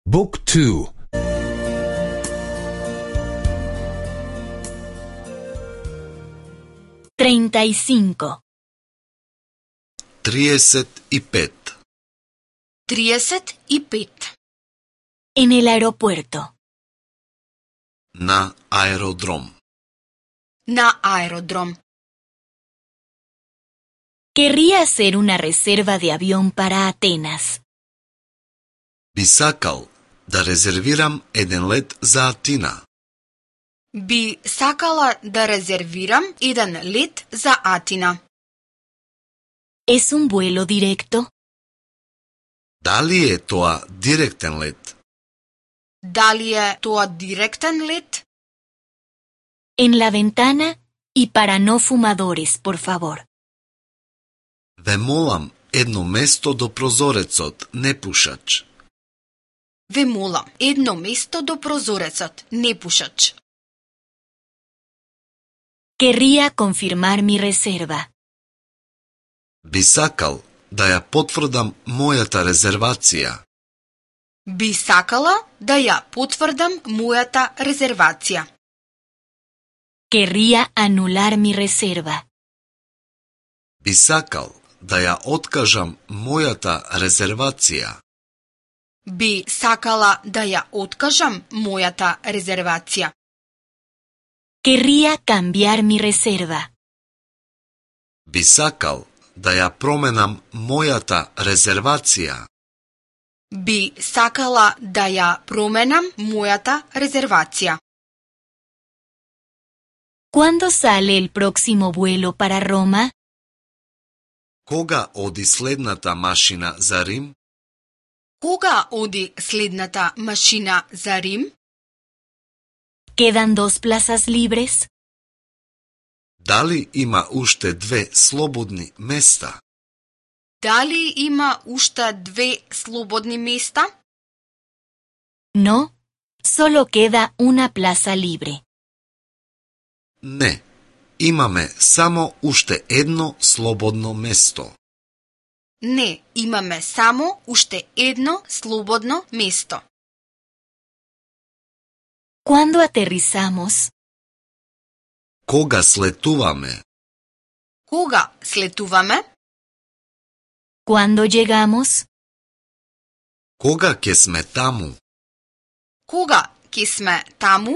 Book 2. 35. 35. 35. En el aeropuerto. На аеродром. На аеродром. Querría hacer una reserva de avión para Atenas. Би сакал да резервирам еден лет за Атина. Би сакала да резервирам еден лет за Атина. ¿Es un vuelo directo? Дали е тоа директен лет? Дали е тоа директен лет? En la ventana y para no fumadores, por favor. Ве молам едно место до прозорецот, непушач. Ве молам едно место до прозорецот, непушач. Querría confirmar mi reserva. Би сакал да ја потврдам мојата резервација. Би сакала да ја потврдам мојата резервација. Querría anular mi reserva. Би сакал да ја откажам мојата резервација. Би сакала да ја откажам мојата резервација. Querría cambiar mi reserva. Би сакал да ја променам мојата резервација. Би сакала да ја променам мојата резервација. ¿Cuándo sale el próximo vuelo para Roma? Кога оди следната машина за Рим? Кога оди следната машина за Рим? ¿Quedan 2 plazas libres? Дали има уште 2 слободни места? Дали има уште 2 слободни места? No, solo queda una plaza libre. Не, имаме само уште едно слободно место. Не, имаме само уште едно слободно место. ¿Cuándo aterrizamos? Кога слетуваме? Кога слетуваме? ¿Cuándo llegamos? Кога ќе сме таму? Кога ќе сме таму?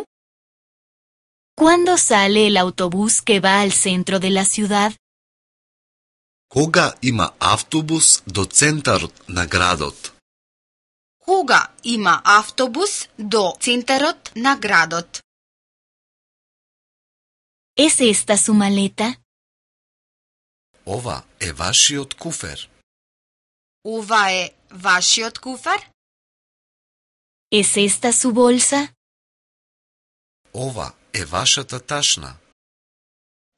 ¿Cuándo sale el autobús que va al centro de la ciudad? Кога има автобус до центарот на градот? Кога има автобус до центарот на градот? ¿Es esta su maleta? Ова е вашиот куфер. Ова е вашиот куфер? ¿Es esta su bolsa? Ова е вашата ташна.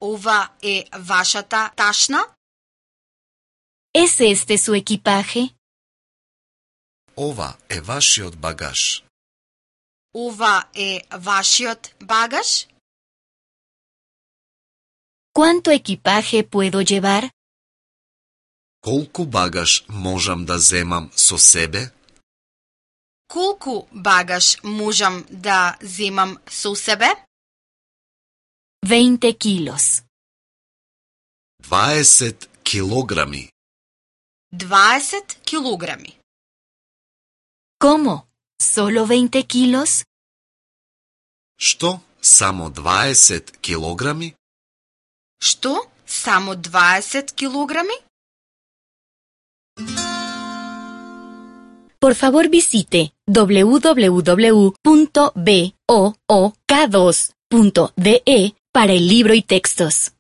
Ова е вашата ташна? ¿Es este su equipaje? Ова е вашиот багаж. Ова е вашиот багаж? ¿Cuánto equipaje puedo llevar? Колку багаж можам да земам со себе? Колку багаж можам да земам со себе? 20 kilos. 20 килограми. 20 килограми. ¿Cómo? ¿Solo 20 kilos? Што? Само 20 килограми? Што? Само 20 килограми? Por favor visite www.book2.de para el libro y textos.